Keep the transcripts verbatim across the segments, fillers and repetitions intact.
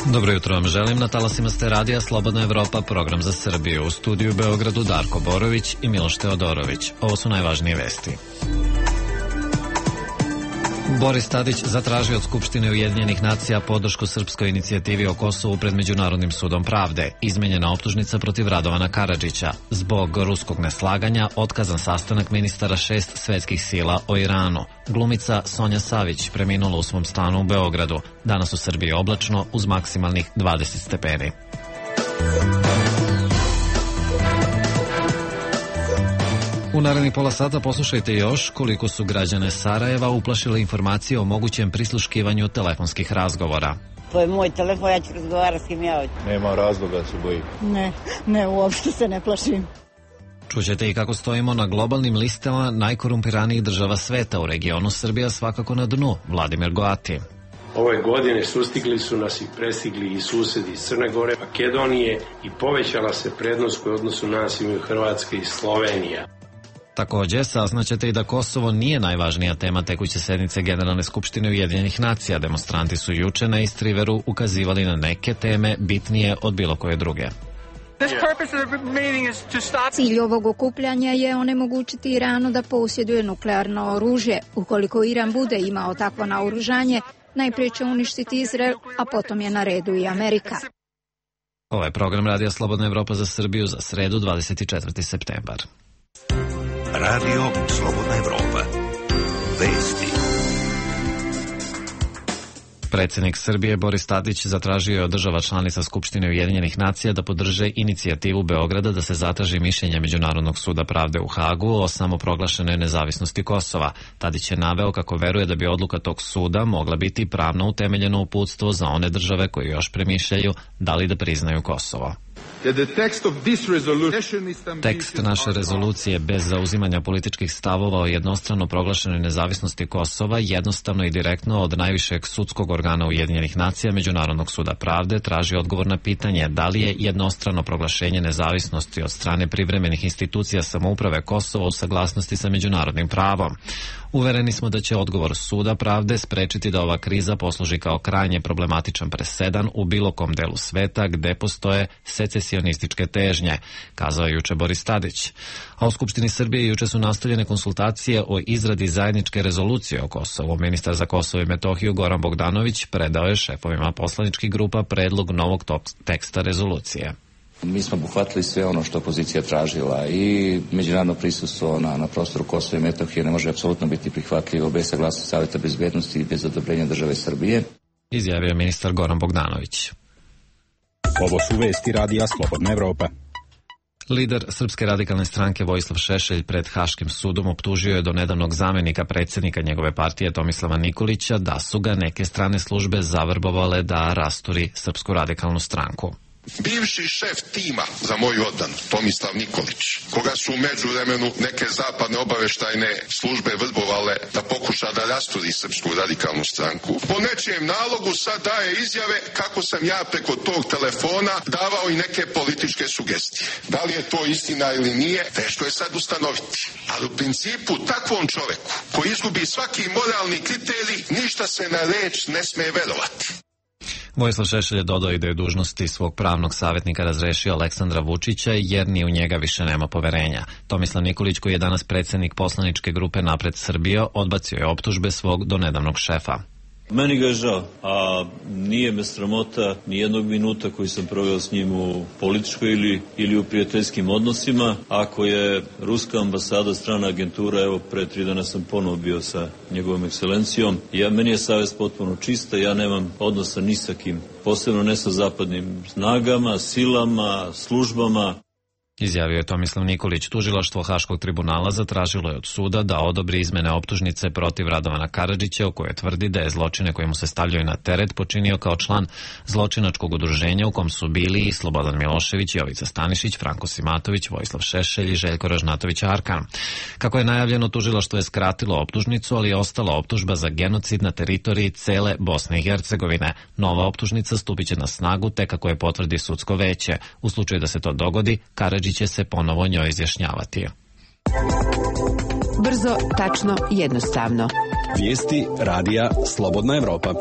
Dobro jutro vam želim, na talasima ste radija Slobodna Evropa, program za Srbiju. U studiju u Beogradu Darko Borović i Miloš Teodorović. Ovo su najvažnije vesti. Boris Tadić zatražio od Skupštine Ujedinjenih nacija podršku srpskoj inicijativi o Kosovu pred Međunarodnim sudom pravde. Izmenjena optužnica protiv Radovana Karadžića. Zbog ruskog neslaganja otkazan sastanak ministara šest svetskih sila o Iranu. Glumica Sonja Savić preminula u svom stanu u Beogradu. Danas u Srbiji oblačno uz maksimalnih dvadeset stepeni. U narednih pola sata poslušajte još koliko su građane Sarajeva uplašile informacije o mogućem prisluškivanju telefonskih razgovora. To je moj telefon, ja ću razgovarati s kim ja hoću. Nema razloga da se bojim. Ne, ne, uopšte se ne plašim. Čućete i kako stojimo na globalnim listama najkorumpiranijih država sveta. U regionu Srbija svakako na dnu. Vladimir Goati. Ove godine sustigli su nas i prestigli i susedi iz Crne Gore, Makedonije i povećala se prednost koju odnosu nas imaju Hrvatska i Slovenija. Također, saznaćete i da Kosovo nije najvažnija tema tekuće sednice Generalne skupštine Ujedinjenih nacija. Demonstranti su juče na Istriveru ukazivali na neke teme bitnije od bilo koje druge. Cilj ovog okupljanja je onemogućiti Iranu da posjeduje nuklearno oružje. Ukoliko Iran bude imao takvo naoružanje, najprije će uništiti Izrael, a potom je na redu i Amerika. Ovo je program Radija Slobodna Evropa za Srbiju za sredu dvadeset četvrti septembar. Radio Slobodna Evropa. Vesti. Predsjednik Srbije Boris Tadić zatražio je od država članica Skupštine Ujedinjenih nacija da podrže inicijativu Beograda da se zatraži mišljenje Međunarodnog suda pravde u Hagu o samoproglašenoj nezavisnosti Kosova. Tadić je naveo kako veruje da bi odluka tog suda mogla biti pravno utemeljeno uputstvo za one države koje još premišljaju da li da priznaju Kosovo. Tekst naše rezolucije bez zauzimanja političkih stavova o jednostrano proglašenoj nezavisnosti Kosova jednostavno i direktno od najvišeg sudskog organa Ujedinjenih nacija Međunarodnog suda pravde traži odgovor na pitanje da li je jednostrano proglašenje nezavisnosti od strane privremenih institucija samouprave Kosova u saglasnosti sa međunarodnim pravom. Uvereni smo da će odgovor suda pravde sprečiti da ova kriza posluži kao krajnje problematičan presedan u bilo kom delu sveta gde postoje secesionističke težnje, kazao je juče Boris Tadić. A u Skupštini Srbije juče su nastavljene konsultacije o izradi zajedničke rezolucije o Kosovu. Ministar za Kosovo i Metohiju Goran Bogdanović predao je šefovima poslaničkih grupa predlog novog teksta rezolucije. Mi smo obuhvatili sve ono što opozicija tražila i međunarodno prisustvo na, na prostoru Kosova i Metohije ne može apsolutno biti prihvatljivo bez saglasnosti Savjeta bezbednosti i bez odobrenja države Srbije. Izjavio je ministar Goran Bogdanović. Ovo su vesti Radija Slobodna Evropa. Lider Srpske radikalne stranke Vojislav Šešelj pred Haškim sudom optužio je do nedavnog zamenika predsjednika njegove partije Tomislava Nikolića da su ga neke strane službe zavrbovale da rasturi Srpsku radikalnu stranku. Bivši šef tima za moju odbranu, Tomislav Nikolić, koga su u međuvremenu neke zapadne obaveštajne službe vrbovale da pokuša da rasturi Srpsku radikalnu stranku, po nečijem nalogu sad daje izjave kako sam ja preko tog telefona davao i neke političke sugestije. Da li je to istina ili nije, teško je sad ustanoviti. Ali u principu takvom čoveku koji izgubi svaki moralni kriterij, ništa se na reč ne sme verovati. Vojislav Šešelj je dodao i da je dužnosti svog pravnog savjetnika razrešio Aleksandra Vučića jer ni u njega više nema poverenja. Tomislav Nikolić, koji je danas predsjednik poslaničke grupe Napred Srbija, odbacio je optužbe svog donedavnog šefa. Meni ga je žao, a nije me sramota ni jednog minuta koji sam proveo s njim u političkoj ili, ili u prijateljskim odnosima. Ako je ruska ambasada strana agentura, evo pre tri dana sam ponovo bio sa njegovom ekscelencijom. Ja, meni je savjest potpuno čista, ja nemam odnosa ni sa kim, posebno ne sa zapadnim snagama, silama, službama. Izjavio je Tomislav Nikolić. Tužilaštvo Haškog tribunala zatražilo je od suda da odobri izmene optužnice protiv Radovana Karadžića, u kojoj tvrdi da je zločine koje mu se stavljaju na teret počinio kao član zločinačkog udruženja u kom su bili i Slobodan Milošević, Jovica Stanišić, Franko Simatović, Vojislav Šešelj i Željko Ražnatović Arkan. Kako je najavljeno, tužilaštvo je skratilo optužnicu, ali je ostala optužba za genocid na teritoriji cele Bosne i Hercegovine. Nova optužnica stupit će na snagu tek kako je potvrdi sudsko veće. U slučaju da se to dogodi, Karadžić će se ponovo njoj izjašnjavati. Brzo, tačno, jednostavno. Vijesti Radija Slobodna Evropa.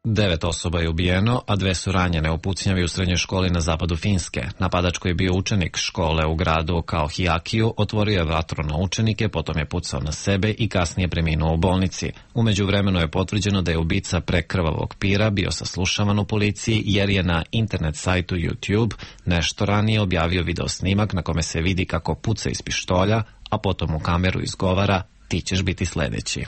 Devet osoba je ubijeno, a dve su ranjene u pucnjavi u srednjoj školi na zapadu Finske. Napadač koji je bio učenik škole u gradu Kauhajokiu otvorio je vatru na učenike, potom je pucao na sebe i kasnije preminuo u bolnici. U međuvremenu je potvrđeno da je ubica prekrvavog pira bio saslušavan u policiji jer je na internet sajtu YouTube nešto ranije objavio video snimak na kome se vidi kako puca iz pištolja, a potom u kameru izgovara "ti ćeš biti sledeći".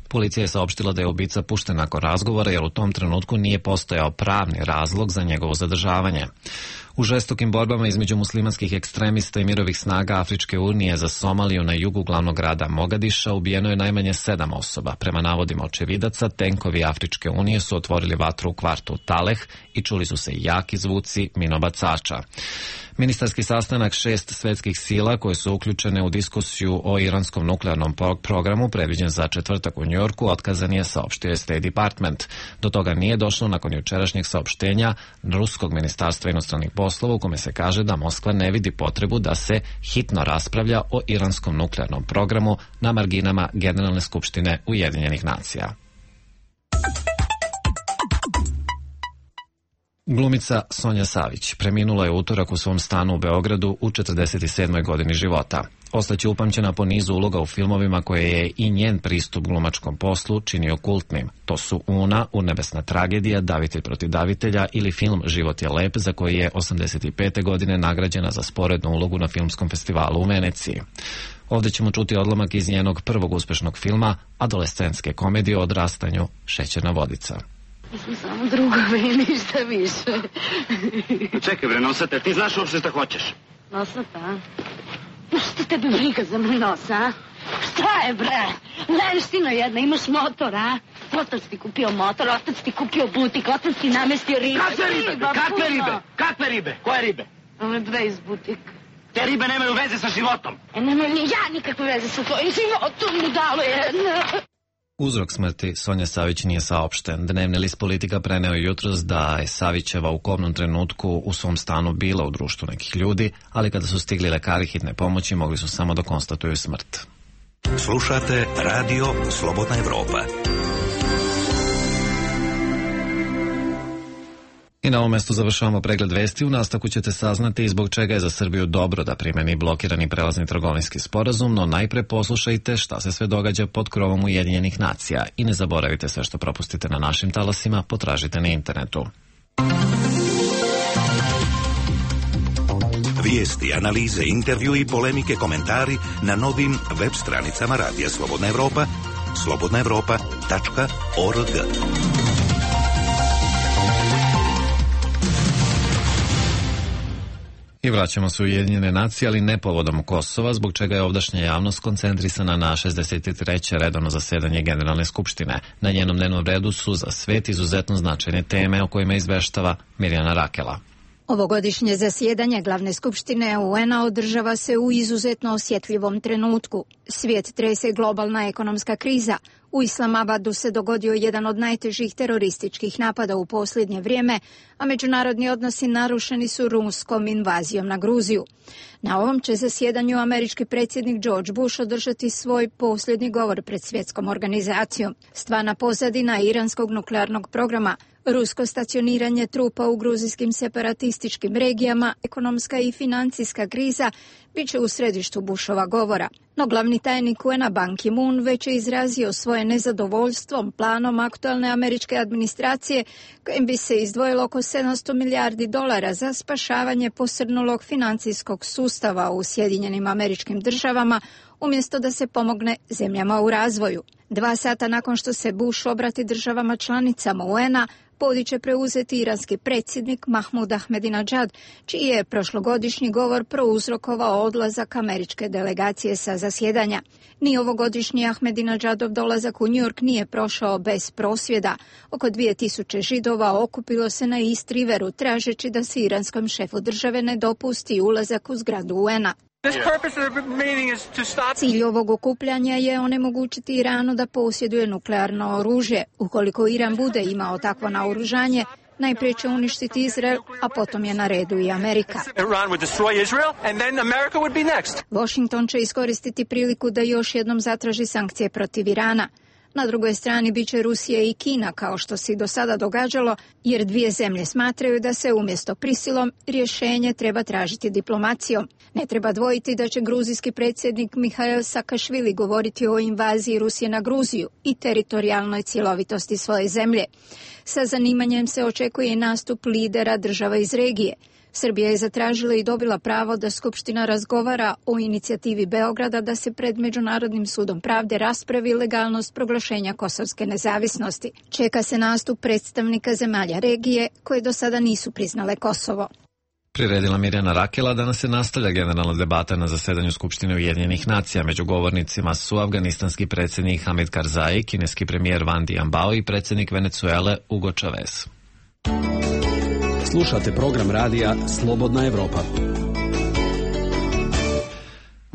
Policija je saopštila da je ubica pušten nakon razgovora jer u tom trenutku nije postojao pravni razlog za njegovo zadržavanje. U žestokim borbama između muslimanskih ekstremista i mirovih snaga Afričke unije za Somaliju na jugu glavnog grada Mogadiša ubijeno je najmanje sedam osoba. Prema navodima očevidaca, tenkovi Afričke unije su otvorili vatru u kvartu Taleh i čuli su se jaki zvuci minobacača. Ministarski sastanak šest svetskih sila koje su uključene u diskusiju o iranskom nuklearnom programu predviđen za četvrtak u Njujorku otkazan je, saopštio je State Department. Do toga nije došlo nakon jučerašnjeg saopštenja Ruskog ministarstva inostranih poslova u kome se kaže da Moskva ne vidi potrebu da se hitno raspravlja o iranskom nuklearnom programu na marginama Generalne skupštine Ujedinjenih nacija. Glumica Sonja Savić preminula je u utorak u svom stanu u Beogradu u četrdeset sedmoj godini života. Ostaće upamćena po nizu uloga u filmovima koje je i njen pristup glumačkom poslu činio kultnim. To su Una, Urnebesna tragedija, Davitelj protiv davitelja ili film Život je lep, za koji je osamdeset pete godine nagrađena za sporednu ulogu na filmskom festivalu u Veneciji. Ovdje ćemo čuti odlomak iz njenog prvog uspešnog filma, adolescentske komedije o odrastanju Šećerna vodica. Mi smo samo drugovi i ništa više. Čekaj bre, Nosata, ti znaš uopšte šta hoćeš? Nosata, a? Šta tebe briga za moj nos, a? Šta je bre? Lenština jedna, imaš motor, a? Otac ti kupio motor, otac ti kupio butik, otac ti namestio ribe. Kakve ribe? Riba, Kakve ribe? Kakve ribe? Koje ribe? Ove dve iz butik. Te ribe nemaju veze sa životom. E, nemaju ni ja nikakve veze sa tvojim životom, budalo jedna. Uzrok smrti Sonje Savić nije saopšten. Dnevni list Politika preneo je jutros da je Savićeva u kobnom trenutku u svom stanu bila u društvu nekih ljudi, ali kada su stigli lekari hitne pomoći mogli su samo da konstatuju smrt. Slušate Radio Slobodna Evropa. I na ovom mestu završavamo pregled vesti. U nastavku ćete saznati zbog čega je za Srbiju dobro da primeni blokirani prelazni trgovinski sporazum, no najpre poslušajte šta se sve događa pod krovom Ujedinjenih nacija i ne zaboravite sve što propustite na našim talasima, potražite na internetu. Vijesti, analize, intervju i polemike, komentari na novim web stranicama Radija Slobodna Evropa, slobodna evropa tačka org. I vraćamo se u Ujedinjene nacije, ali ne povodom Kosova, zbog čega je ovdašnja javnost koncentrisana na šezdeset treće redovno zasedanje Generalne skupštine. Na njenom dnevnom redu su za svet izuzetno značajne teme o kojima izveštava Mirjana Rakela. Ovogodišnje zasjedanje Glavne skupštine U N-a održava se u izuzetno osjetljivom trenutku. Svijet trese globalna ekonomska kriza. U Islamabadu se dogodio jedan od najtežih terorističkih napada u posljednje vrijeme, a međunarodni odnosi narušeni su ruskom invazijom na Gruziju. Na ovom će zasjedanju američki predsjednik George Bush održati svoj posljednji govor pred svjetskom organizacijom. Stvarna pozadina iranskog nuklearnog programa, rusko stacioniranje trupa u gruzijskim separatističkim regijama, ekonomska i financijska kriza bit će u središtu Bushova govora. No glavni tajnik U N-a Ban Ki-moon već je izrazio svoje nezadovoljstvom planom aktualne američke administracije kojim bi se izdvojilo oko sedamsto milijardi dolara za spašavanje posrnulog financijskog sustava u Sjedinjenim Američkim Državama umjesto da se pomogne zemljama u razvoju. Dva sata nakon što se Bush obrati državama članicama U N-a, podić će preuzeti iranski predsjednik Mahmud Ahmadinejad, čiji je prošlogodišnji govor prouzrokovao odlazak američke delegacije sa zasjedanja. Ni ovogodišnji Ahmadinejadov dolazak u New York nije prošao bez prosvjeda. Oko dvije tisuće Židova okupilo se na East Riveru tražeći da se iranskom šefu države ne dopusti ulazak u zgradu U N-a. Cilj ovog okupljanja je onemogućiti Iranu da posjeduje nuklearno oružje. Ukoliko Iran bude imao takvo naoružanje, Najprije će uništiti Izrael, a potom je na redu i Amerika. Washington će iskoristiti priliku da još jednom zatraži sankcije protiv Irana. Na drugoj strani bit će Rusija i Kina, kao što se i do sada događalo, jer dvije zemlje smatraju da se umjesto prisilom rješenje treba tražiti diplomacijom. Ne treba dvojiti da će gruzijski predsjednik Mihail Sakašvili govoriti o invaziji Rusije na Gruziju i teritorijalnoj cjelovitosti svoje zemlje. Sa zanimanjem se očekuje i nastup lidera država iz regije. Srbija je zatražila i dobila pravo da Skupština razgovara o inicijativi Beograda da se pred Međunarodnim sudom pravde raspravi legalnost proglašenja kosovske nezavisnosti. Čeka se nastup predstavnika zemalja regije koje do sada nisu priznale Kosovo. Priredila Mirjana Rakela. Danas se nastavlja generalna debata na zasedanju Skupštine Ujedinjenih nacija. Među govornicima su afganistanski predsjednik Hamid Karzai, kineski premijer Van Dianbao i predsjednik Venecuele Hugo Chavez. Slušate program radija Slobodna Evropa.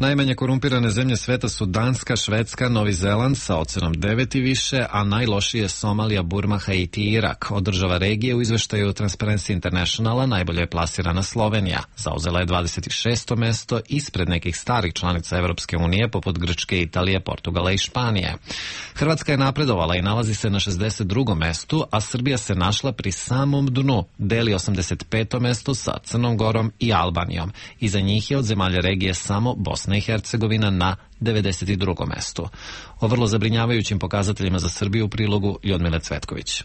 Najmanje korumpirane zemlje sveta su Danska, Švedska, Novi Zeland sa ocenom devet i više, a najlošije Somalija, Burma, Haiti i Irak. Od država regije u izveštaju Transparency Internationala najbolje je plasirana Slovenija. Zauzela je dvadeset šesto mesto ispred nekih starih članica Evropske unije poput Grčke, Italije, Portugala i Španije. Hrvatska je napredovala i nalazi se na šezdeset drugom mestu, a Srbija se našla pri samom dnu, deli osamdeset peto mesto sa Crnom Gorom i Albanijom. Iza njih je od zemalja regije samo Bosna i Hercegovina na devedeset drugom mestu. O vrlo zabrinjavajućim pokazateljima za Srbiju u prilogu Ljudmile Cvetković.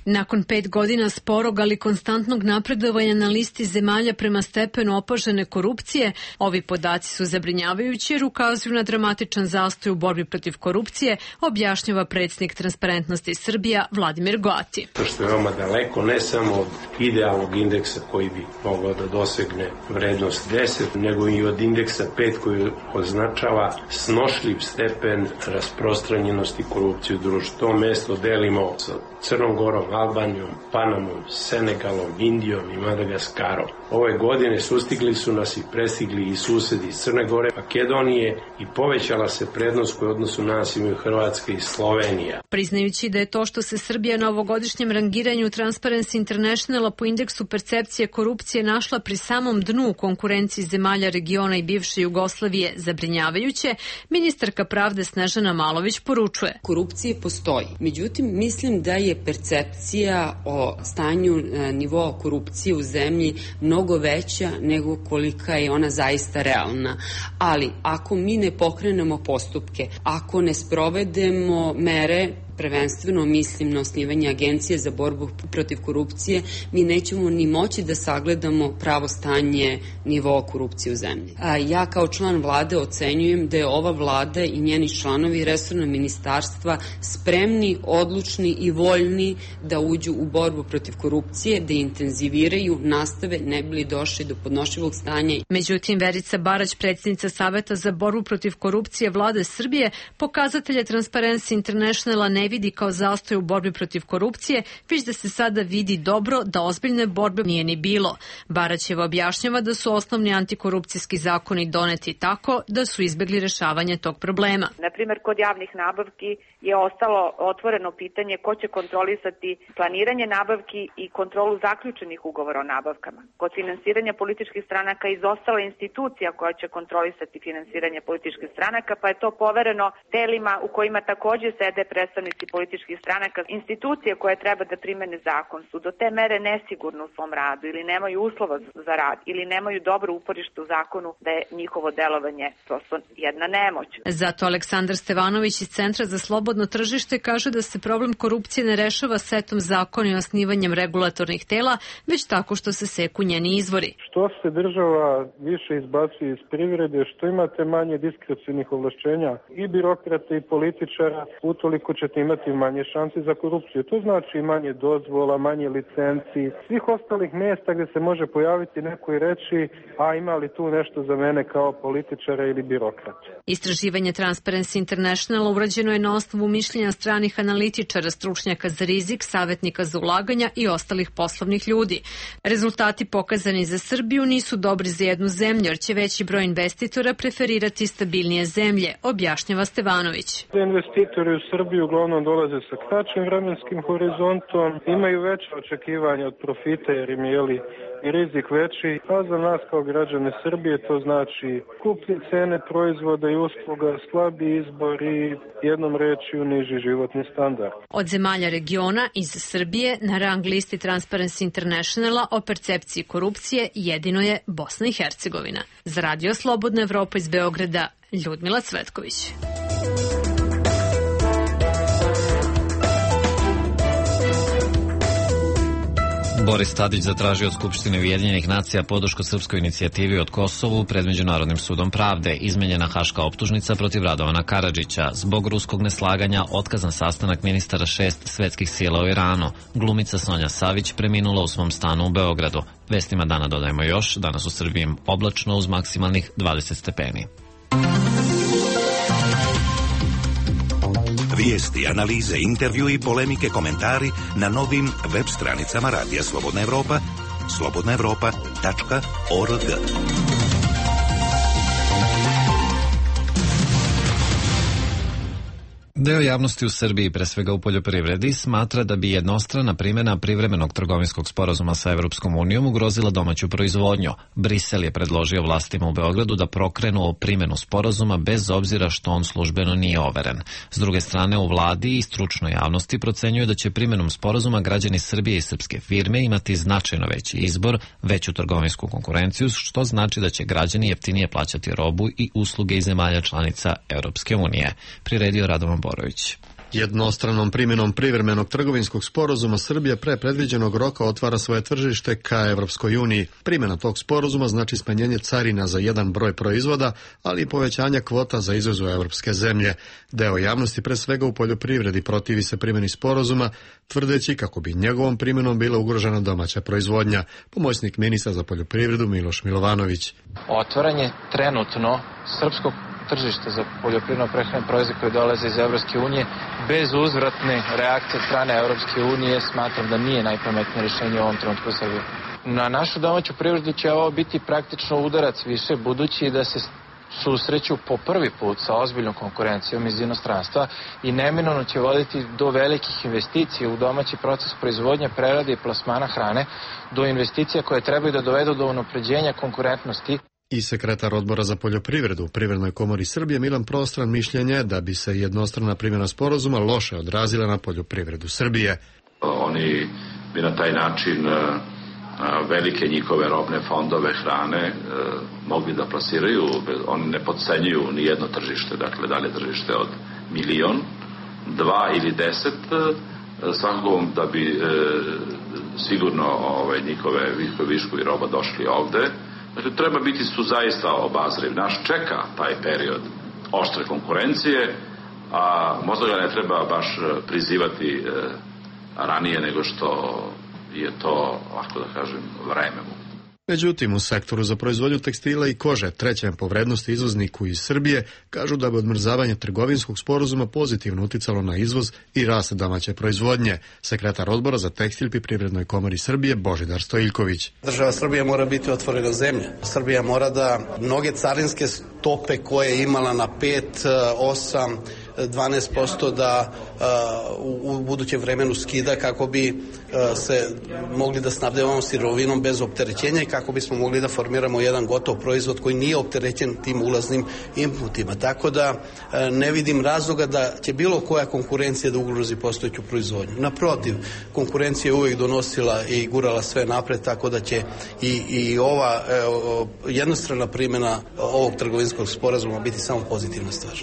Nakon pet godina sporog, ali konstantnog napredovanja na listi zemalja prema stepenu opažene korupcije, ovi podaci su zabrinjavajući jer ukazuju na dramatičan zastoj u borbi protiv korupcije, objašnjava predsjednik Transparentnosti Srbija Vladimir Goati. To što je veoma daleko, ne samo od idealnog indeksa koji bi mogao da dosegne vrednost deset, nego i od indeksa pet koji označava snošljiv stepen rasprostranjenosti korupcije u društvu. To mesto delimo sa Crnom Gorom, Albanijom, Panamom, Senegalom, Indijom i Madagaskarom. Ove godine sustigli su nas i prestigli i susedi iz Crne Gore, Makedonije i povećala se prednost koju odnosu nas imaju Hrvatska i Slovenija. Priznajući da je to što se Srbija na ovogodišnjem rangiranju Transparency Internationala po indeksu percepcije korupcije našla pri samom dnu u konkurenciji zemalja regiona i bivše Jugoslavije zabrinjavajuće, ministarka pravde Snežana Malović poručuje. Korupcije postoji. Međutim, mislim da je percepcija o stanju nivoa korupcije u zemlji mnogo veća nego kolika je ona zaista realna. Ali ako mi ne pokrenemo postupke, ako ne sprovedemo mere, prvenstveno mislim na osnivanje agencije za borbu protiv korupcije, mi nećemo ni moći da sagledamo pravo stanje nivoa korupcije u zemlji. A ja kao član vlade ocenjujem da je ova vlada i njeni članovi resorna ministarstva spremni, odlučni i voljni da uđu u borbu protiv korupcije, da intenziviraju, nastave, ne bi li došli do podnošljivog stanja. Međutim, Verica Barać, predsjednica Saveta za borbu protiv korupcije vlade Srbije, pokazatelje Transparency Internationala ne vidi kao zastoj u borbi protiv korupcije, već da se sada vidi dobro da ozbiljne borbe nije ni bilo. Baraćeva objašnjava da su osnovni antikorupcijski zakoni doneti tako da su izbjegli rešavanje tog problema. Na primjer, kod javnih nabavki je ostalo otvoreno pitanje ko će kontrolisati planiranje nabavki i kontrolu zaključenih ugovora o nabavkama. Kod finansiranja političkih stranaka izostala institucija koja će kontrolisati finansiranje političkih stranaka, pa je to povereno telima u kojima također sede predstavnici političkih stranaka. Institucije koje treba da primene zakon su do te mere nesigurne u svom radu ili nemaju uslova za rad ili nemaju dobro uporište u zakonu da je njihovo delovanje prosto jedna nemoć. Zato Aleksandar Stevanović iz Centra za slobodno tržište kaže da se problem korupcije ne rešava setom zakona i osnivanjem regulatornih tela, već tako što se seku njeni izvori. Što se država više izbacuje iz privrede, što imate manje diskrecionih ovlašćenja i birokrata i političara, utoliko ćete imati manje šanse za korupciju. To znači manje dozvola, manje licenci, svih ostalih mjesta gdje se može pojaviti neko i reći, a ima li tu nešto za mene kao političara ili birokrata. Istraživanje Transparency Internationala urađeno je na osnovu mišljenja stranih analitičara, stručnjaka za rizik, savjetnika za ulaganja i ostalih poslovnih ljudi. Rezultati pokazani za Srbiju nisu dobri za jednu zemlju, jer će veći broj investitora preferirati stabilnije zemlje, objašnjava Stevanović. Investitori u Srbiju uglavnom dolaze sa kraćim vremenskim horizontom, imaju veće očekivanja od profita jer im je li i rizik veći, a za nas kao građane Srbije to znači skuplje cene proizvoda i usluga, slabi izbor i jednom rečju niži životni standard. Od zemalja regiona iz Srbije na rang listi Transparency Internationala o percepciji korupcije jedino je Bosna i Hercegovina. Za Radio Slobodna Evropa iz Beograda, Ljudmila Cvetković. Boris Tadić zatražio od Skupštine Ujedinjenih nacija podršku srpskoj inicijativi od Kosovu pred Međunarodnim sudom pravde. Izmenjena haška optužnica protiv Radovana Karadžića. Zbog ruskog neslaganja otkazan sastanak ministara šest svetskih sila u Iranu. Glumica Sonja Savić preminula u svom stanu u Beogradu. Vestima dana dodajemo još, danas u Srbiji oblačno uz maksimalnih dvadeset stepeni. Vijesti, analize, intervju i polemike, komentari na novim web stranicama Radija Slobodna Evropa, slobodna evropa tačka org. Deo javnosti u Srbiji, pre svega u poljoprivredi, smatra da bi jednostrana primjena privremenog trgovinskog sporazuma sa Evropskom unijom ugrozila domaću proizvodnju. Brisel je predložio vlastima u Beogradu da prokrenu primjenu sporazuma bez obzira što on službeno nije overen. S druge strane, u vladi i stručnoj javnosti procenjuju da će primjenom sporazuma građani Srbije i srpske firme imati značajno veći izbor, veću trgovinsku konkurenciju, što znači da će građani jeftinije plaćati robu i usluge iz zemalja članica Evropske unije. Priredio Radovan Borović. Jednostranom primjenom privremenog trgovinskog sporazuma Srbija pre predviđenog roka otvara svoje tržište ka Evropskoj uniji. Primjena tog sporazuma znači smanjenje carina za jedan broj proizvoda, ali i povećanja kvota za izvoz u evropske zemlje. Deo javnosti, pre svega u poljoprivredi, protivi se primjeni sporazuma, tvrdeći kako bi njegovom primjenom bila ugrožena domaća proizvodnja. Pomoćnik ministra za poljoprivredu Miloš Milovanović. Otvaranje trenutno srpskog tržište za poljoprivredno prehrambene proizvode koji dolaze iz Evropske unije bez uzvratne reakcije strane Evropske unije smatram da nije najpametnije rješenje u ovom trenutku u Srbiji. Na našu domaću privredu će ovo biti praktično udarac više, budući da se susreću po prvi put sa ozbiljnom konkurencijom iz inostranstva i neminovno će voditi do velikih investicija u domaći proces proizvodnje, prerade i plasmana hrane, do investicija koje trebaju da dovedu do unapređenja konkurentnosti. I sekretar odbora za poljoprivredu u Privrednoj komori Srbije Milan Prostran mišljenje da bi se jednostrana primjena sporazuma loše odrazila na poljoprivredu Srbije. Oni bi na taj način velike njihove robne fondove hrane mogli da plasiraju, oni ne podcenjuju ni jedno tržište, dakle da li je tržište od milion, dva ili deset, svakako da bi sigurno ovaj, njihove viškovi roba došli ovde. Znači, treba biti su zaista obazriv. Naš čeka taj period oštre konkurencije, a možda ga ne treba baš prizivati e, ranije nego što je to, ovako da kažem, vreme mu. Međutim, u sektoru za proizvodnju tekstila i kože, trećem po vrednosti izvozniku iz Srbije, kažu da bi odmrzavanje trgovinskog sporazuma pozitivno uticalo na izvoz i rast domaće proizvodnje. Sekretar odbora za tekstil pri Privrednoj komori Srbije Božidar Stojiljković. Država Srbija mora biti otvorena zemlja. Srbija mora da mnoge carinske stope koje je imala na pet, osam, dvanaest posto da uh, u budućem vremenu skida kako bi uh, se mogli da snabdevamo sirovinom bez opterećenja i kako bismo mogli da formiramo jedan gotov proizvod koji nije opterećen tim ulaznim inputima. Tako da uh, ne vidim razloga da će bilo koja konkurencija da ugrozi postojeću proizvodnju. Naprotiv, konkurencija je uvijek donosila i gurala sve napred, tako da će i, i ova uh, jednostrana primjena ovog trgovinskog sporazuma biti samo pozitivna stvar.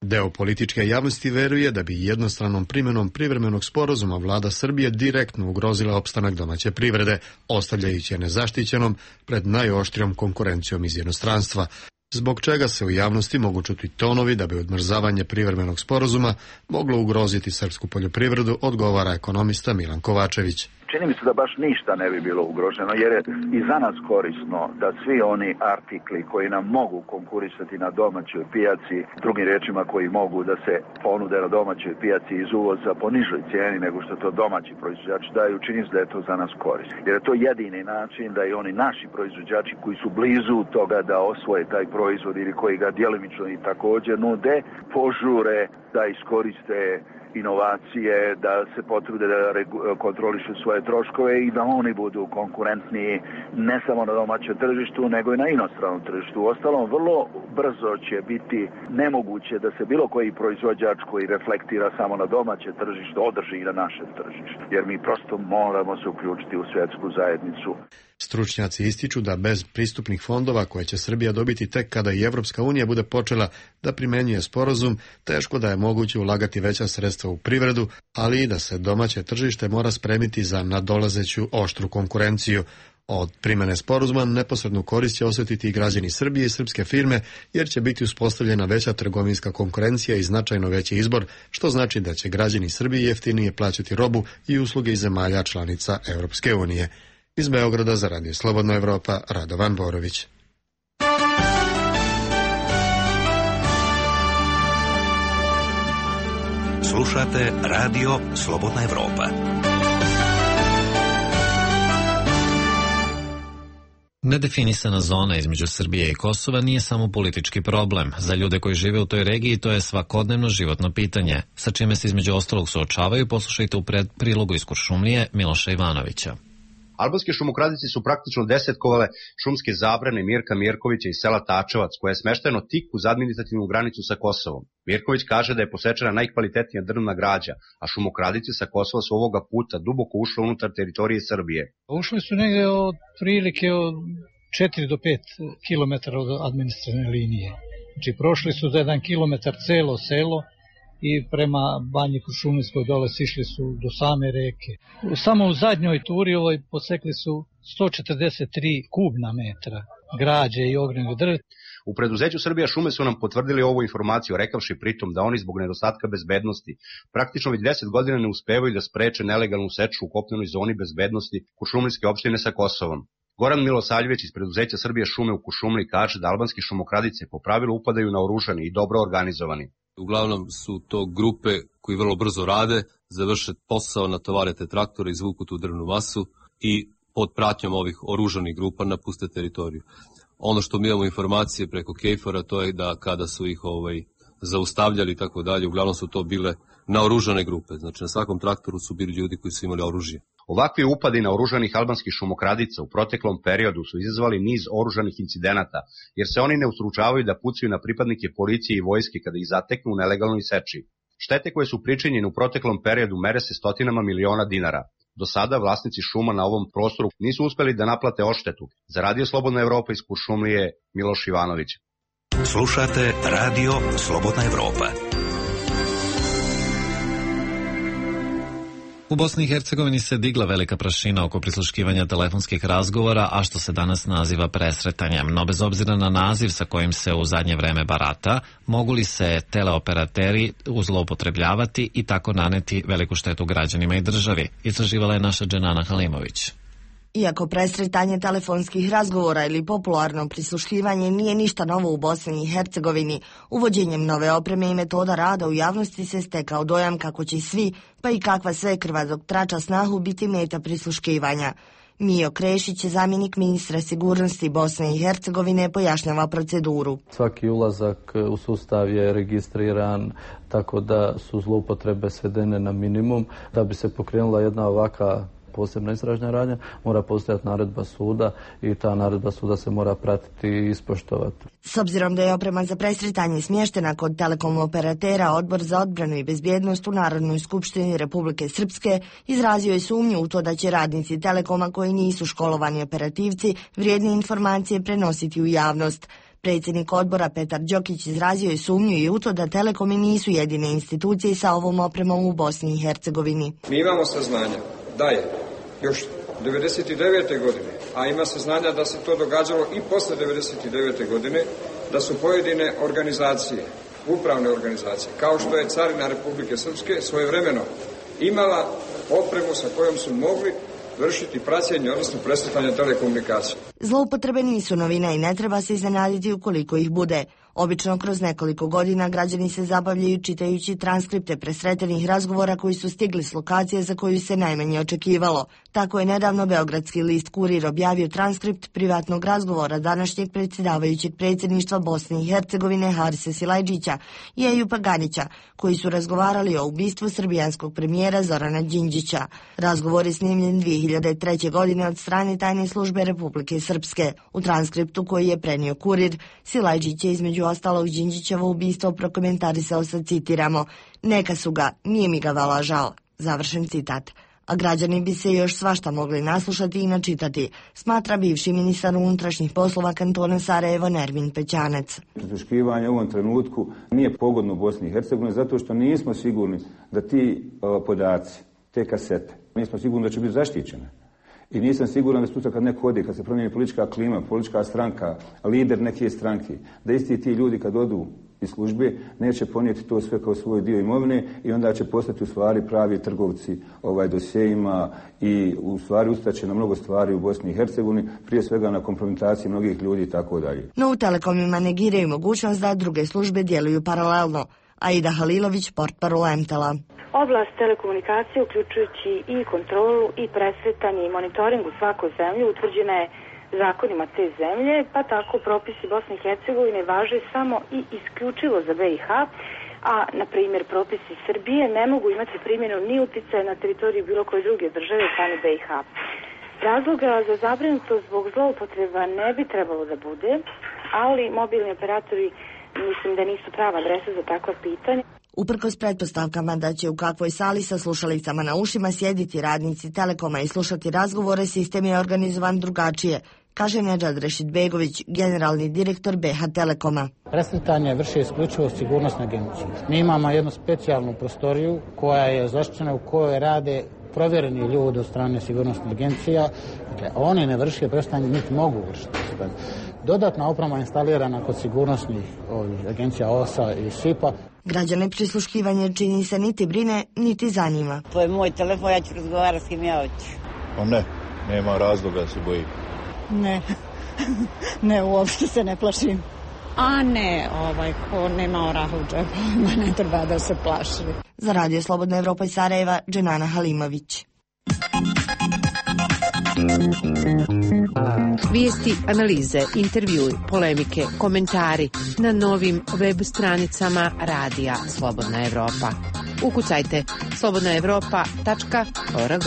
Deo političke javnosti veruje da bi jednostranom primjenom privremenog sporazuma vlada Srbije direktno ugrozila opstanak domaće privrede, ostavljajući je nezaštićenom pred najoštrijom konkurencijom iz inostranstva, zbog čega se u javnosti mogu čuti tonovi da bi odmrzavanje privremenog sporazuma moglo ugroziti srpsku poljoprivredu, odgovara ekonomista Milan Kovačević. čini mi se da baš ništa ne bi bilo ugroženo, jer je i za nas korisno da svi oni artikli koji nam mogu konkurisati na domaćoj pijaci, drugim riječima koji mogu da se ponude na domaćoj pijaci iz uvoza po nižoj cijeni nego što to domaći proizvođači daju, čini se da je to za nas korisno. Jer je to jedini način da i oni naši proizvođači koji su blizu toga da osvoje taj proizvod ili koji ga djelimično i također nude, požure da iskoriste inovacije, da se potrude da kontrolišu svoje troškove i da oni budu konkurentniji ne samo na domaćem tržištu, nego i na inostranom tržištu. Uostalom, vrlo brzo će biti nemoguće da se bilo koji proizvođač koji reflektira samo na domaće tržište održi i na našem tržištu, jer mi prosto moramo se uključiti u svjetsku zajednicu. Stručnjaci ističu da bez pristupnih fondova koje će Srbija dobiti tek kada i Evropska unija bude počela da primenjuje sporazum, teško da je moguće ulagati veća sredstva u privredu, ali i da se domaće tržište mora spremiti za nadolazeću oštru konkurenciju. Od primene sporazuma neposrednu korist će osjetiti i građani Srbije i srpske firme, jer će biti uspostavljena veća trgovinska konkurencija i značajno veći izbor, što znači da će građani Srbije jeftinije plaćati robu i usluge iz zemalja članica Evropske unije. Iz Beograda za Radio Slobodna Evropa, Radovan Borović. Slušate Radio Slobodna Evropa. Nedefinisana zona između Srbije i Kosova nije samo politički problem. Za ljude koji žive u toj regiji to je svakodnevno životno pitanje, sa čime se između ostalog suočavaju. Poslušajte u pred prilogu iz Kuršumlije Miloša Ivanovića. Albanski šumokradici su praktično desetkovale šumske zabrane Mirka Mirkovića iz sela Tačevac, koje je smešteno tik uz administrativnu granicu sa Kosovom. Mirković kaže da je posečena najkvalitetnija drvna građa, a šumokradici sa Kosova su ovoga puta duboko ušle unutar teritorije Srbije. Ušli su negde od prilike od četiri do pet kilometara od administrativne linije. Znači prošli su za jedan kilometar celo selo i prema Banji Kuršumlijskoj dole sišli su do same reke. Samo u zadnjoj turi ovoj posekli su sto četrdeset tri kubna metra građe i ognjenog drveta. U preduzeću Srbija šume su nam potvrdili ovu informaciju, rekavši pritom da oni zbog nedostatka bezbednosti praktično već deset godina ne uspevaju da spreče nelegalnu seču u kopnenoj zoni bezbednosti Kuršumlijske opštine sa Kosovom. Goran Milosaljević iz preduzeća Srbija šume u Kuršumliji kaže da albanski šumokradice po pravilu upadaju naoružani i dobro organizovani. Uglavnom su to grupe koji vrlo brzo rade, završe posao, natovare te traktore, izvuku tu drvnu masu i pod pratnjom ovih oružanih grupa napuste teritoriju. Ono što mi imamo informacije preko Kejfora, to je da kada su ih ovaj, zaustavljali i tako dalje, uglavnom su to bile naoružane grupe. Znači na svakom traktoru su bili ljudi koji su imali oružje. Ovakvi upadi na oružanih albanskih šumokradica u proteklom periodu su izazvali niz oružanih incidenata, jer se oni ne ustručavaju da pucaju na pripadnike policije i vojske kada ih zateknu u nelegalnoj seči. Štete koje su pričinjene u proteklom periodu mere se stotinama miliona dinara. Do sada vlasnici šuma na ovom prostoru nisu uspeli da naplate odštetu. Za Radio Slobodna Evropa iz Kuršumlije, Miloš Ivanović. Slušate Radio Slobodna Evropa. U Bosni i Hercegovini se digla velika prašina oko prisluškivanja telefonskih razgovora, a što se danas naziva presretanjem. No bez obzira na naziv sa kojim se u zadnje vreme barata, mogu li se teleoperateri zloupotrebljavati i tako naneti veliku štetu građanima i državi? Istraživala je naša Dženana Halimović. Iako presretanje telefonskih razgovora ili popularno prisluškivanje nije ništa novo u Bosni i Hercegovini, uvođenjem nove opreme i metoda rada u javnosti se stekao dojam kako će svi, pa i kakva sve krvazog trača snahu, biti meta prisluškivanja. Mijo Krešić, zamjenik ministra sigurnosti Bosne i Hercegovine, pojašnjava proceduru. Svaki ulazak u sustav je registriran, tako da su zloupotrebe svedene na minimum. Da bi se pokrenula jedna ovaka posebna istražna radnja, mora postojati naredba suda i ta naredba suda se mora pratiti i ispoštovati. S obzirom da je oprema za presretanje smještena kod telekom operatera, Odbor za odbranu i bezbjednost u Narodnoj skupštini Republike Srpske izrazio je sumnju u to da će radnici Telekoma koji nisu školovani operativci vrijedne informacije prenositi u javnost. Predsjednik odbora Petar Đokić izrazio je sumnju i u to da Telekomi nisu jedine institucije sa ovom opremom u Bosni i Hercegovini. Mi imamo saznanja da je još devedeset devete godine, a ima saznanja da se to događalo i posle devedeset devete godine, da su pojedine organizacije, upravne organizacije, kao što je Carina Republike Srpske, svojevremeno imala opremu sa kojom su mogli vršiti praćenje, odnosno presretanje telekomunikacije. Zloupotrebe nisu novina i ne treba se iznenaditi ukoliko ih bude. Obično kroz nekoliko godina građani se zabavljaju čitajući transkripte presretenih razgovora koji su stigli s lokacije za koju se najmanje očekivalo. Tako je nedavno beogradski list Kurir objavio transkript privatnog razgovora današnjeg predsjedavajućeg predsjedništva Bosne i Hercegovine Harise Silajdžića i Ejupa Ganića, koji su razgovarali o ubistvu srbijanskog premijera Zorana Đinđića. Razgovor je snimljen dvije hiljade treće. godine od strane tajne službe Republike Srpske. U transkriptu koji je prenio Kurir, Silajdžić je između ostalog Đinđićevo ubistvo prokomentarisao sa, citiramo, neka su ga, nije mi ga vala žal. Završen citat. A građani bi se još svašta mogli naslušati i načitati, smatra bivši ministar unutrašnjih poslova kantona Sarajevo Nermin Pećanec. Prisluškivanje u ovom trenutku nije pogodno Bosni i Hercegovini zato što nismo sigurni da ti o, podaci, te kasete, nismo sigurni da će biti zaštićene. I nisam siguran da sutra kad neko odi, kad se promijeni politička klima, politička stranka, lider neke stranke, da isti ti ljudi kad odu iz službe neće ponijeti to sve kao svoj dio imovine i onda će postati u stvari pravi trgovci ovaj dosjeima i u stvari ustaće na mnogo stvari u Bosni i Hercegovini, prije svega na kompromitaciji mnogih ljudi i tako dalje. No u Telekomima negiraju mogućnost da druge službe djeluju paralelno. Aida Halilović, portparol Emtela. Oblast telekomunikacije, uključujući i kontrolu i presretanje i monitoring u svakoj zemlji, utvrđena je zakonima te zemlje, pa tako propisi Bosne i Hercegovine važe samo i isključivo za B i H, a, na primjer, propisi Srbije ne mogu imati primjenu ni uticaja na teritoriju bilo koje druge države strane B i H. Razloga za zabrinutost zbog zloupotreba ne bi trebalo da bude, ali mobilni operatori mislim da nisu prava adresa za takva pitanja. Uprkos pretpostavkama da će u kakvoj sali sa slušalicama na ušima sjediti radnici Telekoma i slušati razgovore, sistem je organizovan drugačije, kaže Nedžad Rešidbegović, generalni direktor B H Telekoma. Presretanje vrši isključivo sigurnosna agencija. Mi imamo jednu specijalnu prostoriju koja je zaštićena, u kojoj rade provjereni ljudi od strane sigurnosnih agencija. Dakle, oni ne vrše presretanje, niti mogu vršiti. Dodatna oprema je instalirana kod sigurnosnih ovih, agencija O S A i S I P A. Građane prisluškivanje čini se niti brine, niti zanima. To je moj telefon, ja ću razgovarati s kim ja hoću. Pa ne, nema razloga da se bojim. Ne, ne, uopšte se ne plašim. A ne, ovaj, ko nema oraha u džepu, ne treba da se plaši. Za Radio Slobodna Evropa iz Sarajeva, Dženana Halimović. Vijesti, analize, intervjui, polemike, komentari na novim web stranicama Radija Slobodna Evropa. Ukucajte slobodna evropa tačka org.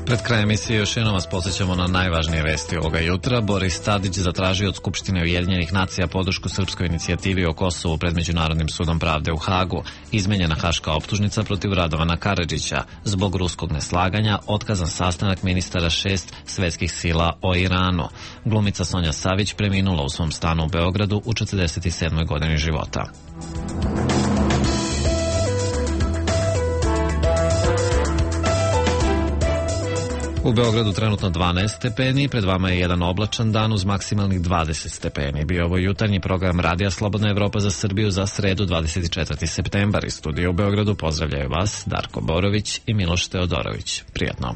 Pred krajem emisije još jednom vas podsjećamo na najvažnije vesti ovoga jutra. Boris Tadić zatražio od Skupštine Ujedinjenih nacija podršku srpskoj inicijativi o Kosovu pred Međunarodnim sudom pravde u Hagu. Izmenjena haška optužnica protiv Radovana Karadžića. Zbog ruskog neslaganja otkazan sastanak ministara šest svetskih sila o Iranu. Glumica Sonja Savić preminula u svom stanu u Beogradu u četrdeset sedmoj godini života. U Beogradu trenutno dvanaest stepeni, pred vama je jedan oblačan dan uz maksimalnih dvadeset stepeni. Bio ovo jutarnji program Radija Slobodna Evropa za Srbiju za sredu dvadeset četvrti septembar. Iz studija u Beogradu pozdravljaju vas Darko Borović i Miloš Teodorović. Prijatno.